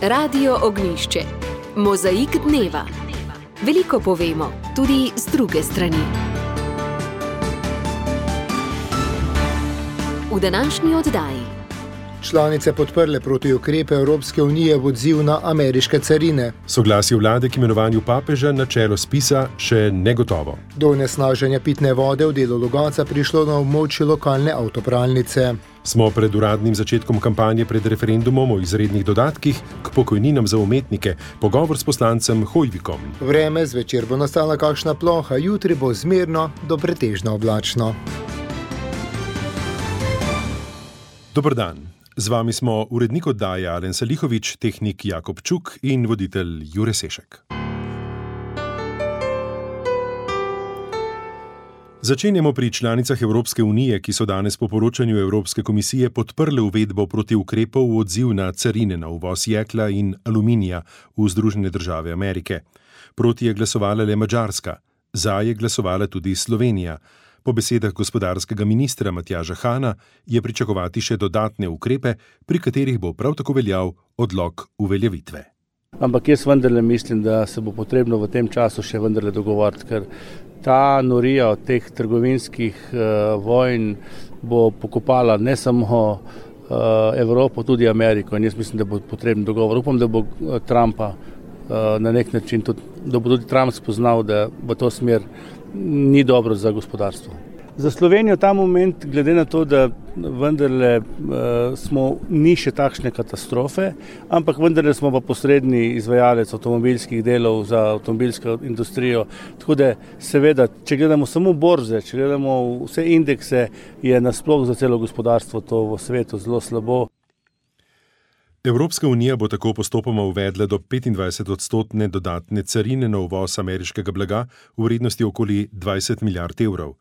Radio Ognjišče. Mozaik dneva. Veliko povemo, tudi z druge strani. V današnji oddaji. Članice podprle protiukrepe Evropske unije v odziv na ameriške carine. Soglasje vlade k imenovanju papeža na čelo spisa še negotovo. Do onesnaženja pitne vode v delu Logatca prišlo na območju lokalne avtopralnice. Smo pred uradnim začetkom kampanje pred referendumom o izrednih dodatkih k pokojninam za umetnike, pogovor s poslancem Hojvikom. Vreme, zvečer bo nastala kakšna ploha, jutri bo zmerno do pretežno oblačno. Dober dan. Z vami smo urednik oddaje Alen Salihovič, tehnik Jakob Čuk in voditelj Jure Sešek. Začenjamo pri članicah Evropske unije, ki so danes po poročanju Evropske komisije podprle uvedbo protiukrepov v odziv na carine na uvoz jekla in aluminija v Združene države Amerike. Proti je glasovala le Madžarska, za je glasovala tudi Slovenija. Po besedah gospodarskega ministra Matjaža Hana je pričakovati še dodatne ukrepe, pri katerih bo prav tako veljal odlog uveljavitve. Ampak jaz vendarle mislim, da se bo potrebno v tem času še vendarle dogovoriti, ker ta norija od teh trgovinskih vojn bo pokopala ne samo Evropo, tudi Ameriko, in jaz mislim, da bo potreben dogovor. Upam, da bo Trumpa na nek način, da bo tudi Trump spoznal, da v to smer ni dobro za gospodarstvo. Za Slovenijo ta moment, glede na to, da vendarle ni še takšne katastrofe, ampak vendarle smo pa posredni izvajalec avtomobilskih delov za avtomobilsko industrijo. Tako da seveda, če gledamo samo borze, če gledamo vse indekse, je nasploh za celo gospodarstvo to v svetu zelo slabo. Evropska unija bo tako postopoma uvedla do 25% dodatne carine na uvoz ameriškega blaga v vrednosti okoli 20 milijard evrov.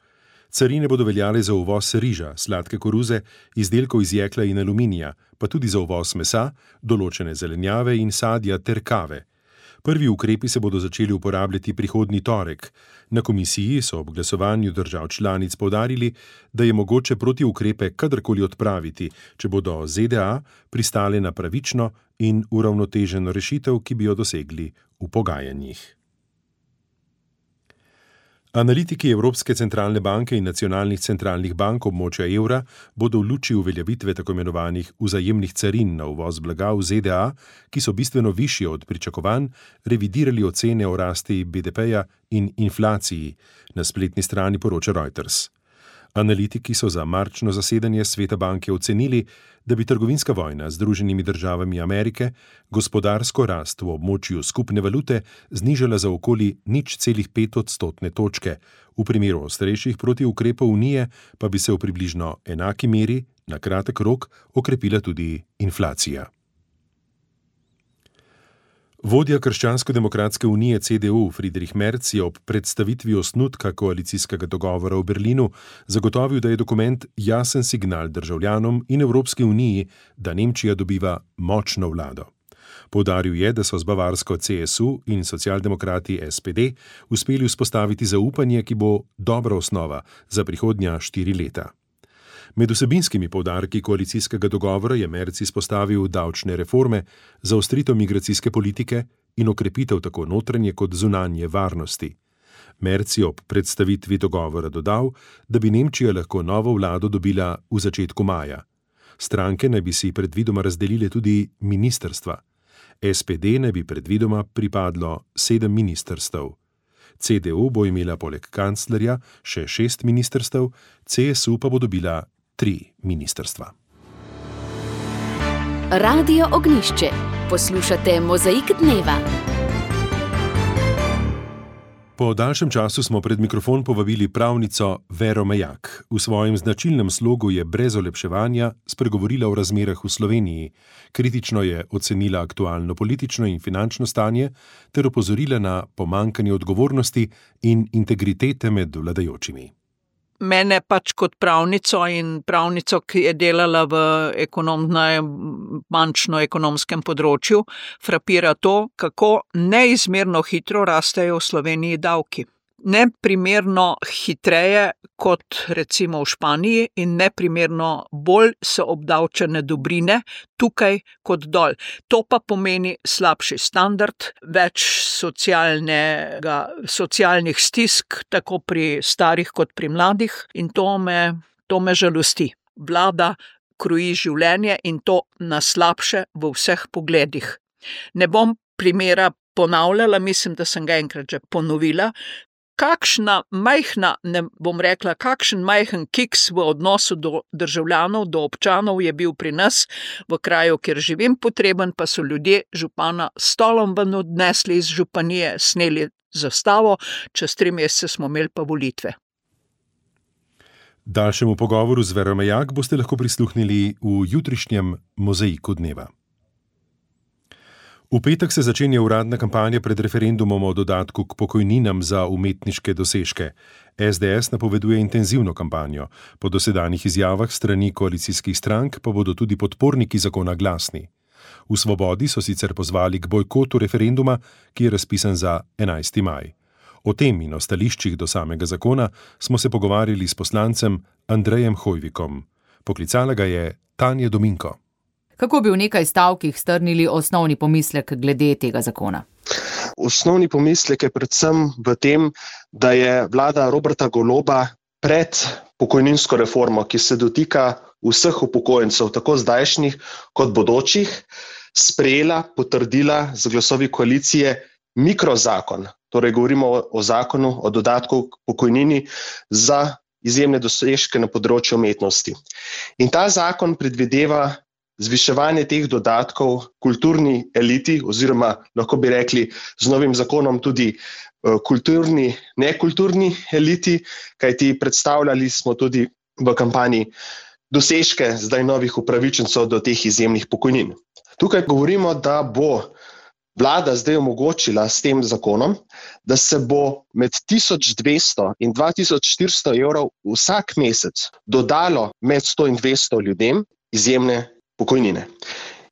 Carine bodo veljale za uvoz riža, sladke koruze, izdelkov iz jekla in aluminija, pa tudi za uvoz mesa, določene zelenjave in sadja ter kave. Prvi ukrepi se bodo začeli uporabljati prihodnji torek. Na komisiji so ob glasovanju držav članic poudarili, da je mogoče protiukrepe kadarkoli odpraviti, če bodo ZDA pristale na pravično in uravnoteženo rešitev, ki bi jo dosegli v pogajanjih. Analitiki Evropske centralne banke in nacionalnih centralnih bank območja evra bodo v luči uveljavitve tako imenovanih vzajemnih carin na uvoz blaga v ZDA, ki so bistveno višje od pričakovanj, revidirali ocene o rasti BDP-ja in inflaciji, na spletni strani poroča Reuters. Analitiki so za marčno zasedanje Sveta banke ocenili, da bi trgovinska vojna z Združenimi državami Amerike gospodarsko rast v območju skupne valute znižala za okoli 0,5 odstotne točke. V primeru ostrejših protiukrepov Unije pa bi se v približno enaki meri na kratek rok okrepila tudi inflacija. Vodja Krščansko-demokratske unije CDU Friedrich Merz je ob predstavitvi osnutka koalicijskega dogovora v Berlinu zagotovil, da je dokument jasen signal državljanom in Evropski uniji, da Nemčija dobiva močno vlado. Poudaril je, da so z bavarsko CSU in socialdemokrati SPD uspeli vzpostaviti zaupanje, ki bo dobra osnova za prihodnja 4 leta. Med vsebinskimi poudarki koalicijskega dogovora je Merz izpostavil davčne reforme, zaostritev migracijske politike in okrepitev tako notranje kot zunanje varnosti. Merz je ob predstavitvi dogovora dodal, da bi Nemčija lahko novo vlado dobila v začetku maja. Stranke naj bi si predvidoma razdelile tudi ministrstva. SPD naj bi predvidoma pripadlo 7 ministrstev. CDU bo imela poleg kanclerja še 6 ministrstev, CSU pa bo dobila 3 ministrstva. Radio Ognjišče. Poslušate Mozaik dneva. Po daljšem času smo pred mikrofon povabili pravnico Vero Mejak. V svojem značilnem slogu je brez olepševanja spregovorila o razmerah v Sloveniji. Kritično je ocenila aktualno politično in finančno stanje ter opozorila na pomanjkanje odgovornosti in integritete med vladajočimi. Mene pač kot pravnico in pravnico, ki je delala na bančno-ekonomskem področju, frapira to, kako neizmerno hitro rastejo v Sloveniji davki. neprimerno hitreje kot recimo v Španiji in neprimerno bolj so obdavčene dobrine tukaj kot dol. To pa pomeni slabši standard, več socialnih stisk, tako pri starih kot pri mladih, in to me žalosti. Vlada kroji življenje in to na slabše v vseh pogledih. Ne bom primera ponavljala, mislim, da sem ga enkrat že ponovila. Kakšen majhen kiks v odnosu do državljanov, do občanov je bil pri nas v kraju, kjer živim, potreben pa so ljudje župana s stolom ven odnesli iz županije, sneli zastavo, čez 3 mesece smo imeli pa volitve. Daljšemu pogovoru z Vero Mejak boste lahko prisluhnili v jutrišnjem Mozaiku dneva. V petek se začenja uradna kampanja pred referendumom o dodatku k pokojninam za umetniške dosežke. SDS napoveduje intenzivno kampanjo. Po dosedanjih izjavah strani koalicijskih strank pa bodo tudi podporniki zakona glasni. V Svobodi so sicer pozvali k bojkotu referenduma, ki je razpisan za 11. maj. O tem in o stališčih do samega zakona smo se pogovarjali s poslancem Andrejem Hojvikom. Poklicala ga je Tanja Dominko. Kako bi v nekaj stavkih strnili osnovni pomislek glede tega zakona? Osnovni pomislek je predvsem v tem, da je vlada Roberta Goloba pred pokojninsko reformo, ki se dotika vseh upokojencev, tako zdajšnjih kot bodočih, sprejela, potrdila z glasovi koalicije mikrozakon. Torej govorimo o zakonu o dodatku k pokojnini za izjemne dosežke na področju umetnosti. In ta zakon predvideva zviševanje teh dodatkov kulturni eliti, oziroma lahko bi rekli z novim zakonom tudi kulturni, nekulturni eliti, kajti predstavljali smo tudi v kampanji dosežke zdaj novih upravičencev do teh izjemnih pokojnin. Tukaj govorimo, da bo vlada zdaj omogočila s tem zakonom, da se bo med 1200 in 2400 evrov vsak mesec dodalo med 100 in 200 ljudem izjemne pokojnine.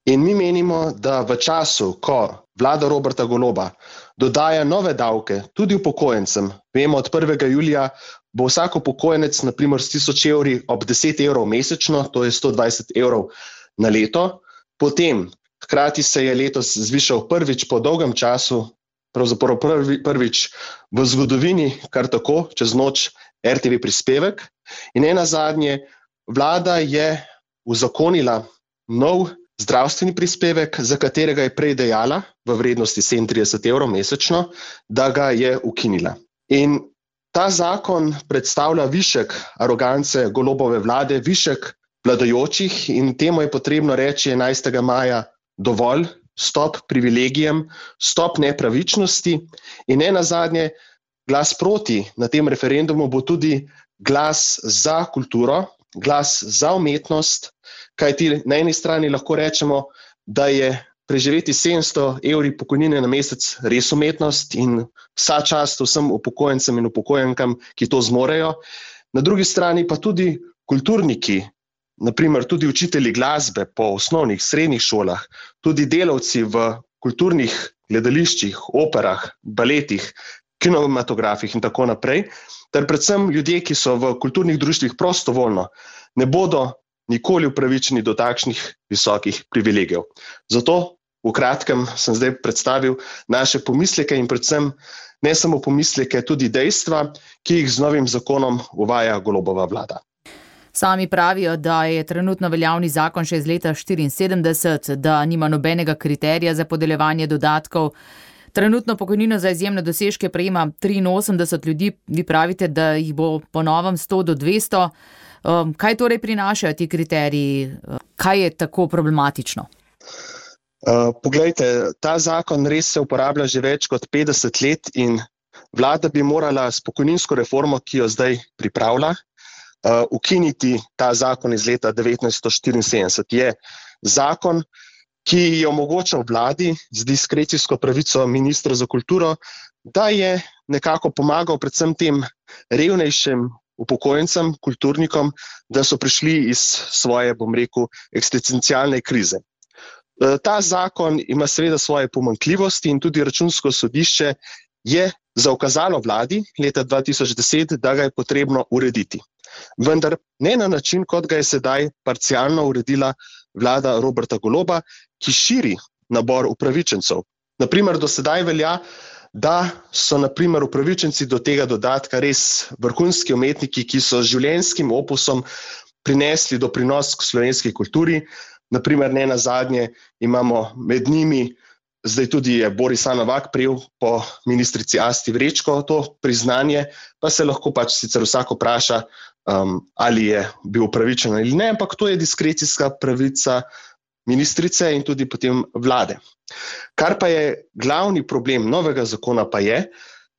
In mi menimo, da v času, ko vlada Roberta Goloba dodaja nove davke tudi upokojencem, vemo, od 1. julija bo vsak upokojenec na primer s 1000 evri ob 10 evrov mesečno, to je 120 evrov na leto. Potem, hkrati se je letos zvišal prvič po dolgem času, pravzaprav prvič v zgodovini, kar tako, čez noč, RTV prispevek. In nenazadnje, vlada je uzakonila nov zdravstveni prispevek, za katerega je prej dejala v vrednosti 37 evrov mesečno, da ga je ukinila. In ta zakon predstavlja višek arogance Golobove vlade, višek vladajočih, in temu je potrebno reči 11. maja dovolj, stop privilegijem, stop nepravičnosti in nenazadnje glas proti na tem referendumu bo tudi glas za kulturo, glas za umetnost, kajti na eni strani lahko rečemo, da je preživeti 700 evri pokojnine na mesec res umetnost in vsa čast vsem upokojencem in upokojenkam, ki to zmorejo. Na drugi strani pa tudi kulturniki, naprimer tudi učitelji glasbe po osnovnih, srednjih šolah, tudi delavci v kulturnih gledališčih, operah, baletih, kinematografih in tako naprej, ter predvsem ljudje, ki so v kulturnih društvih prostovoljno, ne bodo nikoli upravičeni do takšnih visokih privilegijev. Zato v kratkem sem zdaj predstavil naše pomisleke in predvsem ne samo pomisleke, tudi dejstva, ki jih z novim zakonom uvaja Golobova vlada. Sami pravijo, da je trenutno veljavni zakon še iz leta 1974, da nima nobenega kriterija za podeljevanje dodatkov. Trenutno pokojnino za izjemne dosežke prejema 83 ljudi, vi pravite, da jih bo po novem 100 do 200. Kaj torej prinašajo ti kriteriji? Kaj je tako problematično? Poglejte, ta zakon res se uporablja že več kot 50 let in vlada bi morala s pokojninsko reformo, ki jo zdaj pripravlja, ukiniti ta zakon iz leta 1974. Je zakon, ki je omogočal vladi z diskrecijsko pravico ministra za kulturo, da je nekako pomagal predvsem tem revnejšim upokojencem, kulturnikom, da so prišli iz svoje, bom rekel, eksistencialne krize. Ta zakon ima seveda svoje pomanjkljivosti in tudi Računsko sodišče je zaukazalo vladi leta 2010, da ga je potrebno urediti. Vendar ne na način, kot ga je sedaj parcialno uredila vlada Roberta Goloba, ki širi nabor upravičencev. Naprimer, do sedaj velja, da so naprimer upravičenci do tega dodatka res vrhunski umetniki, ki so z življenjskim opusom prinesli doprinos k slovenski kulturi. Naprimer, ne nazadnje imamo med njimi, zdaj tudi je Boris Novak prejel po ministrici Asti Vrečko to priznanje, pa se lahko pač sicer vsak vpraša, ali je bil upravičen ali ne, ampak to je diskrecijska pravica ministrice in tudi potem vlade. Kar pa je glavni problem novega zakona pa je,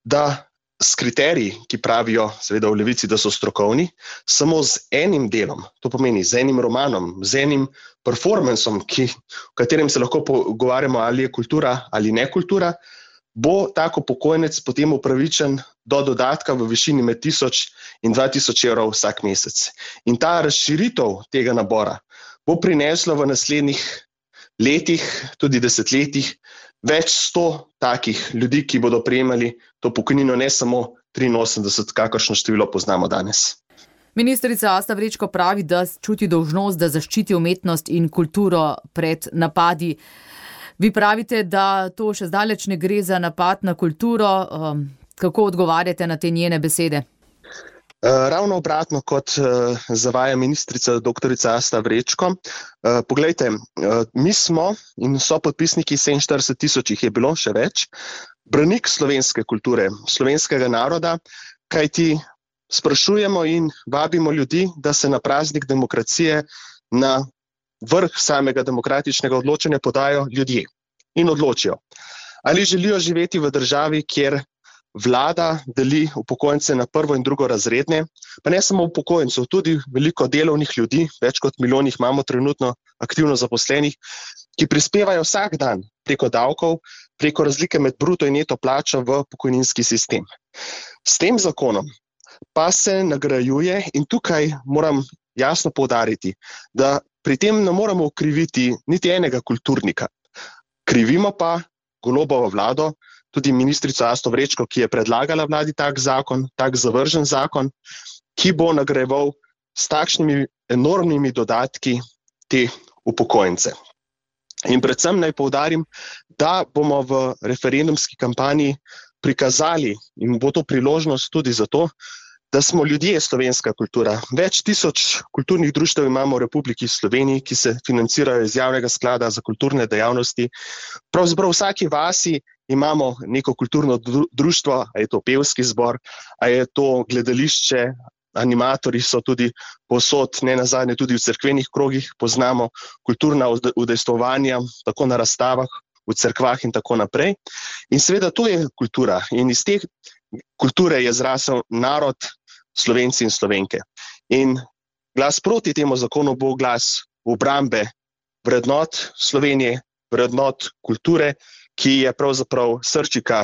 da s kriteriji, ki pravijo seveda v Levici, da so strokovni, samo z enim delom, to pomeni z enim romanom, z enim performansom, v katerem se lahko pogovarjamo, ali je kultura ali ne kultura, bo tako upokojenec potem upravičen do dodatka v višini med 1000 in 2000 evrov vsak mesec. In ta razširitev tega nabora bo prineslo v naslednjih letih, tudi desetletjih, več 100 takih ljudi, ki bodo prejemali to pokojnino, ne samo 83, kakršno število poznamo danes. Ministrica Asta Vrečko pravi, da čuti dolžnost, da zaščiti umetnost in kulturo pred napadi. Vi pravite, da to še zdaleč ne gre za napad na kulturo. Kako odgovarjate na te njene besede? Ravno obratno, kot zavaja ministrica doktorica Asta Vrečko. Poglejte, mi smo in so podpisniki 47 000, jih je bilo še več, branik slovenske kulture, slovenskega naroda, kajti sprašujemo in vabimo ljudi, da se na praznik demokracije na vrh samega demokratičnega odločanja podajo ljudje in odločijo, ali želijo živeti v državi, kjer vlada deli upokojence na prvo in drugo razredne, pa ne samo upokojencev, tudi veliko delovnih ljudi, več kot milijon jih imamo trenutno aktivno zaposlenih, ki prispevajo vsak dan preko davkov, preko razlike med bruto in neto plačo v pokojninski sistem. S tem zakonom pa se nagrajuje, in tukaj moram jasno poudariti, da pri tem ne moramo okriviti niti enega kulturnika. Krivimo pa Golobovo vlado, tudi ministrico Asto Vrečko, ki je predlagala vladi tak zakon, tak zavržen zakon, ki bo nagrajeval s takšnimi enormnimi dodatki te upokojence. In predvsem naj poudarim, da bomo v referendumski kampanji prikazali, in bo to priložnost tudi za to, da smo ljudje slovenska kultura. Več 1000 kulturnih društev imamo v Republiki Sloveniji, ki se financirajo iz javnega sklada za kulturne dejavnosti. Pravzaprav v vsaki vasi imamo neko kulturno društvo, a je to pevski zbor, a je to gledališče, animatorji so tudi povsod, ne nazadnje tudi v cerkvenih krogih, poznamo kulturna udejstvovanja, tako na razstavah, v cerkvah in tako naprej. In seveda to je kultura in iz te kulture je zrasel narod, Slovenci in Slovenke. In glas proti temu zakonu bo glas obrambe vrednot Slovenije, vrednot kulture, ki je pravzaprav srčika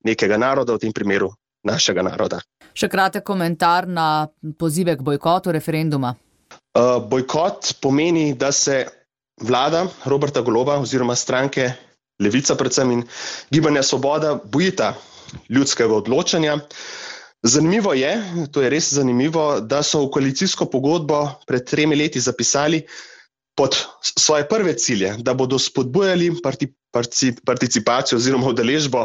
nekega naroda, v tem primeru našega naroda. Še kratek komentar na pozive k bojkotu referenduma. Bojkot pomeni, da se vlada Roberta Goloba oziroma stranke Levica predvsem in Gibanja Svoboda bojita ljudskega odločanja. Zanimivo je, to je res zanimivo, da so v koalicijsko pogodbo pred 3 leti zapisali pod svoje prve cilje, da bodo spodbujali participacijo oziroma udeležbo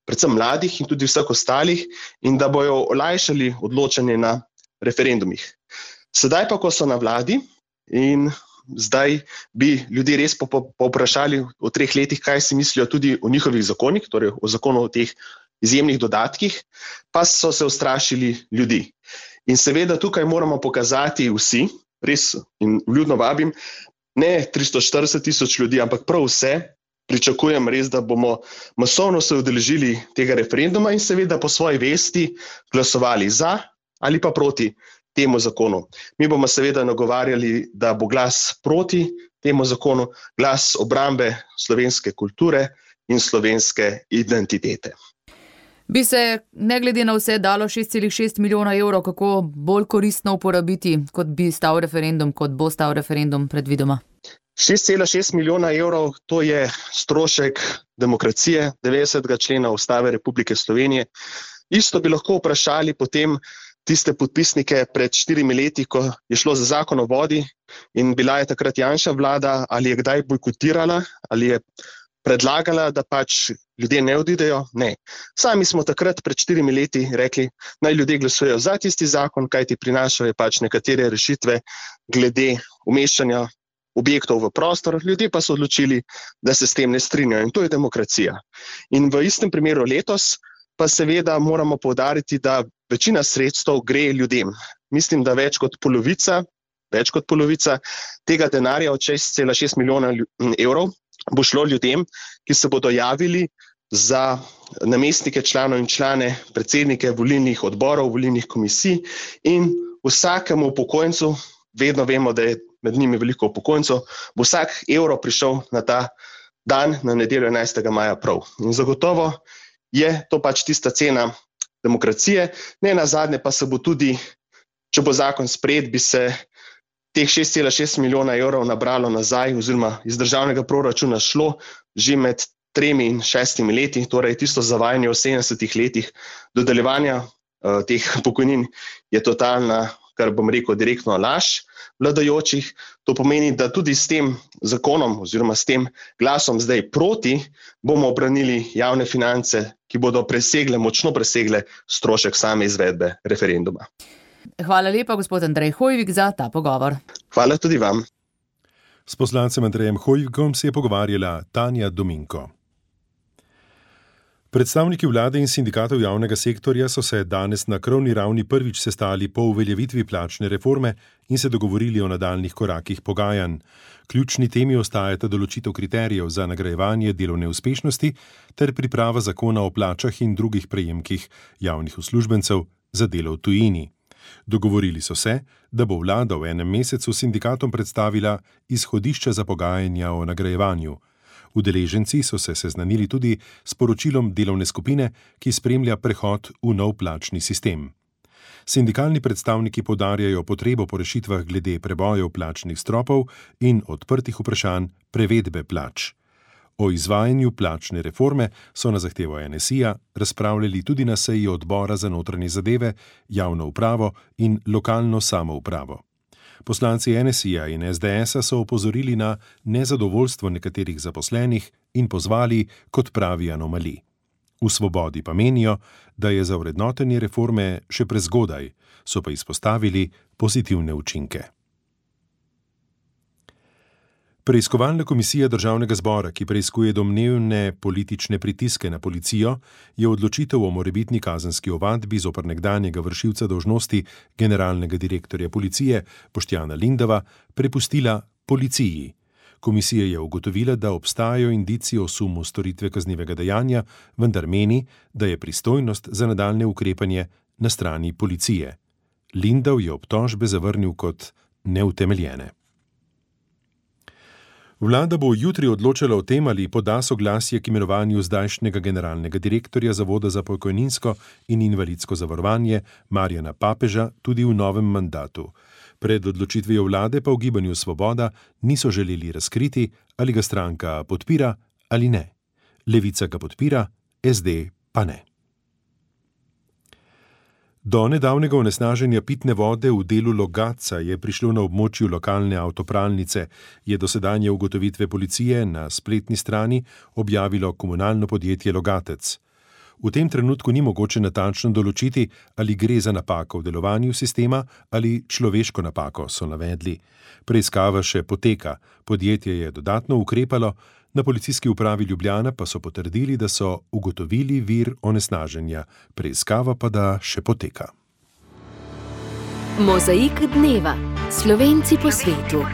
predvsem mladih in tudi vseh ostalih in da bojo olajšali odločanje na referendumih. Sedaj pa, ko so na vladi in zdaj bi ljudi res povprašali v 3 letih, kaj si mislijo tudi o njihovih zakonih, torej o zakonu o teh izjemnih dodatkih, pa so se ustrašili ljudi. In seveda tukaj moramo pokazati vsi, res in vljudno vabim, ne 340 000 ljudi, ampak prav vse, pričakujem res, da bomo masovno se udeležili tega referenduma in seveda po svoji vesti glasovali za ali pa proti temu zakonu. Mi bomo seveda nagovarjali, da bo glas proti temu zakonu, glas obrambe slovenske kulture in slovenske identitete. Bi se, ne glede na vse, dalo 6,6 milijona evrov kako bolj koristno uporabiti, kot bi stal referendum, kot bo stal referendum predvidoma? 6,6 milijona evrov, to je strošek demokracije 90. člena Ustave Republike Slovenije. Isto bi lahko vprašali potem tiste podpisnike pred 4 leti, ko je šlo za zakon o vodi in bila je takrat Janševa vlada, ali je kdaj bojkotirala, ali je predlagala, da pač ljudje ne odidejo. Ne. Sami smo takrat pred 4 leti rekli, naj ljudje glasujejo za tisti zakon, kajti prinašajo pač nekatere rešitve glede umeščanja objektov v prostor, ljudje pa so odločili, da se s tem ne strinjajo in to je demokracija. In v istem primeru letos pa seveda moramo poudariti, da večina sredstev gre ljudem. Mislim, da več kot polovica tega denarja od 6,6 milijona evrov bo šlo ljudem, ki se bodo javili za namestnike članov in člane, predsednike volilnih odborov, volilnih komisij in vsakemu upokojencu, vedno vemo, da je med njimi veliko upokojencev, bo vsak evro prišel na ta dan, na nedeljo 11. maja prav. In zagotovo je to pač tista cena demokracije. Ne nazadnje pa se bo tudi, če bo zakon sprejet, bi se teh 6,6 milijona evrov nabralo nazaj oziroma iz državnega proračuna šlo že med 3 in 6 leti, torej tisto zavajanje v 70 letih dodeljevanja teh pokojnin je totalna, kar bom rekel, direktno laž vladajočih. To pomeni, da tudi s tem zakonom oziroma s tem glasom zdaj proti bomo obranili javne finance, ki bodo močno presegle strošek same izvedbe referenduma. Hvala lepa, gospod Andrej Hoivik, za ta pogovor. Hvala tudi vam. S poslancem Andrejem Hoivikom se je pogovarjala Tanja Dominko. Predstavniki vlade in sindikatov javnega sektorja so se danes na krovni ravni prvič sestali po uveljavitvi plačne reforme in se dogovorili o nadaljnih korakih pogajanj. Ključni temi ostajata določitev kriterijev za nagrajevanje delovne uspešnosti ter priprava zakona o plačah in drugih prejemkih javnih uslužbencev za delo v tujini. Dogovorili so se, da bo vlada v enem mesecu sindikatom predstavila izhodišča za pogajanja o nagrajevanju. Udeleženci so se seznanili tudi s poročilom delovne skupine, ki spremlja prehod v nov plačni sistem. Sindikalni predstavniki poudarjajo potrebo po rešitvah glede prebojev plačnih stropov in odprtih vprašanj prevedbe plač. O izvajanju plačne reforme so na zahtevo NSI-ja razpravljali tudi na seji odbora za notranje zadeve, javno upravo in lokalno samoupravo. Poslanci NSI-ja in SDS-a so opozorili na nezadovoljstvo nekaterih zaposlenih in pozvali k odpravi anomalij. V Svobodi pa menijo, da je za vrednotenje reforme še prezgodaj, so pa izpostavili pozitivne učinke. Preiskovalna komisija Državnega zbora, ki preiskuje domnevne politične pritiske na policijo, je odločitev o morebitni kazenski ovadbi zoper nekdanjega vršilca dolžnosti generalnega direktorja policije Boštjana Lindava prepustila policiji. Komisija je ugotovila, da obstajajo indici o sumu storitve kaznivega dejanja, vendar meni, da je pristojnost za nadaljnje ukrepanje na strani policije. Lindav je obtožbe zavrnil kot neutemeljene. Vlada bo jutri odločala o tem, ali poda soglasje k imenovanju zdajšnjega generalnega direktorja Zavoda za pokojninsko in invalidsko zavarovanje Marjana Papeža tudi v novem mandatu. Pred odločitvijo vlade pa v Gibanju Svoboda niso želeli razkriti, ali ga stranka podpira ali ne. Levica ga podpira, SD pa ne. Do nedavnega onesnaženja pitne vode v delu Logatca je prišlo na območju lokalne avtopralnice, je dosedanje ugotovitve policije na spletni strani objavilo komunalno podjetje Logatec. V tem trenutku ni mogoče natančno določiti, ali gre za napako v delovanju sistema ali človeško napako, so navedli. Preiskava še poteka, podjetje je dodatno ukrepalo, na policijski upravi Ljubljana pa so potrdili, da so ugotovili vir onesnaženja, preiskava pa da še poteka. Mozaik dneva. Slovenci po svetu.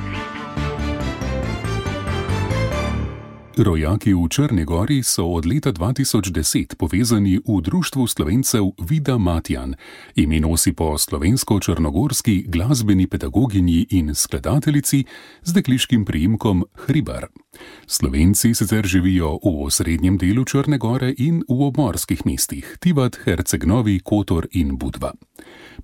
Rojaki v Črni Gori so od leta 2010 povezani v Društvu Slovencev Vida Matjan. Ime nosi po slovensko-črnogorski glasbeni pedagoginji in skladateljici z dekliškim priimkom Hribar. Slovenci sicer živijo v osrednjem delu Črne gore in v obmorskih mestih Tivat, Herceg-Novi, Kotor in Budva.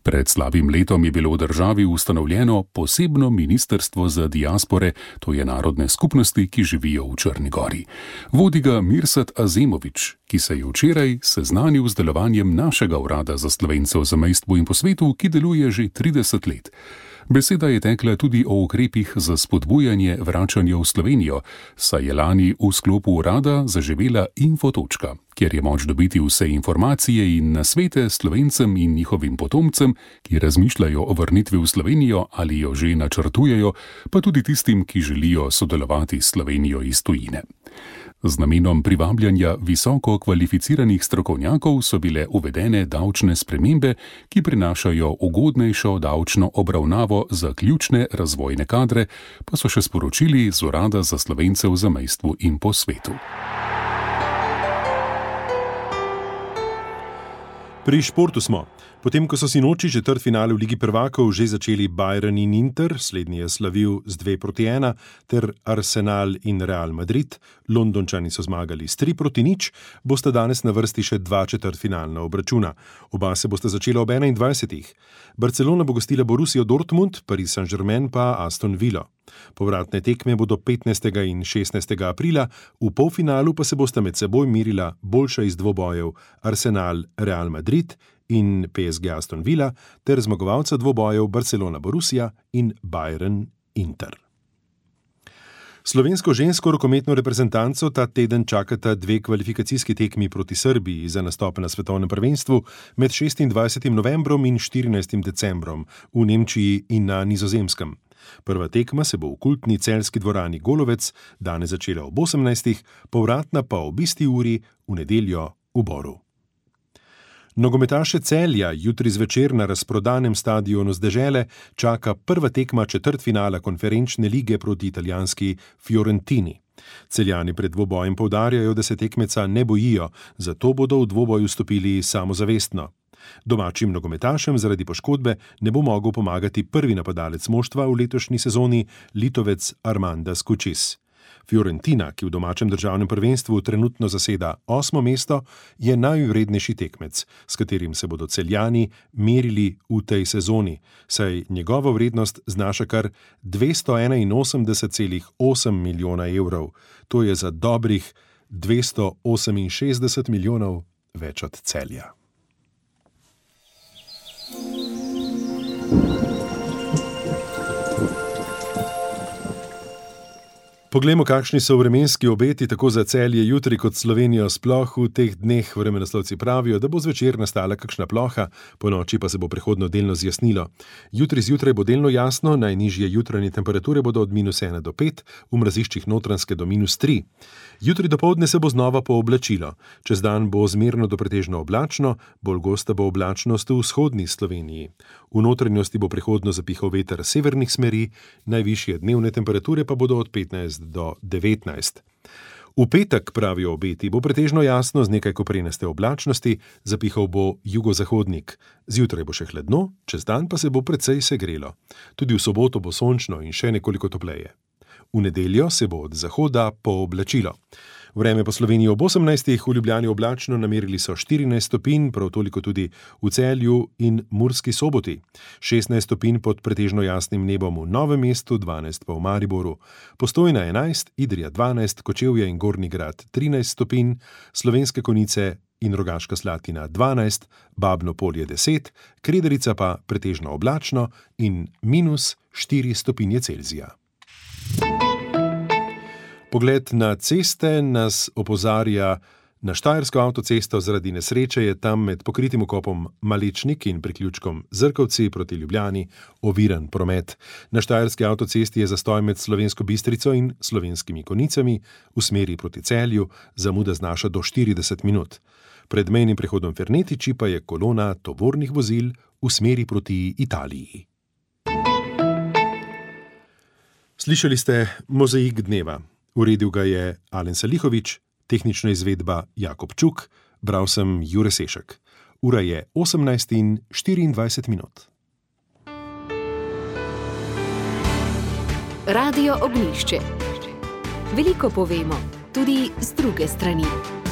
Pred slabim letom je bilo v državi ustanovljeno posebno ministrstvo za diaspore, to je narodne skupnosti, ki živijo v Črni gori. Vodi ga Mirsad Azemović, ki se je včeraj seznanil z delovanjem našega urada za Slovence v zamejstvu in po svetu, ki deluje že 30 let. Beseda je tekla tudi o ukrepih za spodbujanje vračanja v Slovenijo, saj je lani v sklopu urada zaživela Infotočka, kjer je moč dobiti vse informacije in nasvete Slovencem in njihovim potomcem, ki razmišljajo o vrnitvi v Slovenijo ali jo že načrtujejo, pa tudi tistim, ki želijo sodelovati s Slovenijo iz tujine. Z namenom privabljanja visoko kvalificiranih strokovnjakov so bile uvedene davčne spremembe, ki prinašajo ugodnejšo davčno obravnavo za ključne razvojne kadre, pa so še sporočili z Urada za Slovence v zamejstvu in po svetu. Pri športu smo. Potem, ko so sinoči četrtfinale v Ligi prvakov že začeli Bayern in Inter, slednji je slavil z 2-1, ter Arsenal in Real Madrid, Londončani so zmagali s 3-0, bosta danes na vrsti še 2 četrtfinalna obračuna. Oba se bosta začela ob 21. Barcelona bo gostila Borussijo Dortmund, Paris Saint-Germain pa Aston Villa. Povratne tekme bodo 15. in 16. aprila, v polfinalu pa se bosta med seboj merila boljša iz dvobojev Arsenal Real Madrid in PSG Aston Villa ter zmagovalca dvobojev Barcelona Borussija in Bayern Inter. Slovensko žensko rokometno reprezentanco ta teden čakata 2 kvalifikacijski tekmi proti Srbiji za nastope na svetovnem prvenstvu med 26. novembrom in 14. decembrom v Nemčiji in na Nizozemskem. Prva tekma se bo v kultni celjski dvorani Golovec danes začela ob 18. povratna pa ob isti uri v nedeljo v Boru. Nogometaše Celja jutri zvečer na razprodanem stadionu z dežele čaka prva tekma četrtfinala konferenčne lige proti italijanski Fiorentini. Celjani pred dvobojem poudarjajo, da se tekmeca ne bojijo, zato bodo v dvoboj vstopili samozavestno. Domačim nogometašem zaradi poškodbe ne bo mogel pomagati prvi napadalec moštva v letošnji sezoni, Litovec Armandas Kučis. Fiorentina, ki v domačem državnem prvenstvu trenutno zaseda 8. mesto, je najvrednejši tekmec, s katerim se bodo Celjani merili v tej sezoni, saj njegova vrednost znaša kar 281,8 milijona evrov. To je za dobrih 268 milijonov več od Celja. Poglejmo, kakšni so vremenski obeti tako za Celje jutri kot Slovenijo sploh. V teh dneh vremenoslovci pravijo, da bo zvečer nastala kakšna ploha, ponoči pa se bo prehodno delno zjasnilo. Jutri zjutraj bo delno jasno, najnižje jutranje temperature bodo od -1 do 5, v mraziščih Notranjske do -3. Jutri dopoldne se bo znova pooblačilo. Čez dan bo zmerno do pretežno oblačno, bolj gosta bo oblačnost v vzhodni Sloveniji. V notranjosti bo prehodno zapihal veter severnih smeri, najvišje dnevne temperature pa bodo od 15 do 19. V petek, pravijo obeti, bo pretežno jasno z nekaj koprenaste oblačnosti, zapihal bo jugozahodnik. Zjutraj bo še hladno, čez dan pa se bo precej segrelo. Tudi v soboto bo sončno in še nekoliko topleje. V nedeljo se bo od zahoda pooblačilo. Vreme po Sloveniji ob 18. v Ljubljani oblačno, namerili so 14 stopinj, prav toliko tudi v Celju in Murski Soboti. 16 stopinj pod pretežno jasnim nebom v Novem mestu, 12 pa v Mariboru. Postojna 11, Idrija 12, Kočevje in Gornji Grad 13 stopinj, Slovenske Konjice in Rogaška Slatina 12, Babno Polje 10, Krederica pa pretežno oblačno in -4 stopinje Celzija. Pogled na ceste nas opozarja na Štajersko avtocesto. Zaradi nesreče je tam med pokritim vkopom Malečnik in priključkom Zrkovci proti Ljubljani oviran promet. Na Štajerski avtocesti je zastoj med Slovensko Bistrico in Slovenskimi Konjicami v smeri proti Celju, zamuda znaša do 40 minut. Pred mejnim prehodom Fernetiči pa je kolona tovornih vozil v smeri proti Italiji. Slišali ste Mozaik dneva. Uredil ga je Alen Salihovič, tehnična izvedba Jakob Čuk, bral sem Jure Sešek. Ura je 18:24. Radio Ognjišče. Veliko povemo, tudi z druge strani.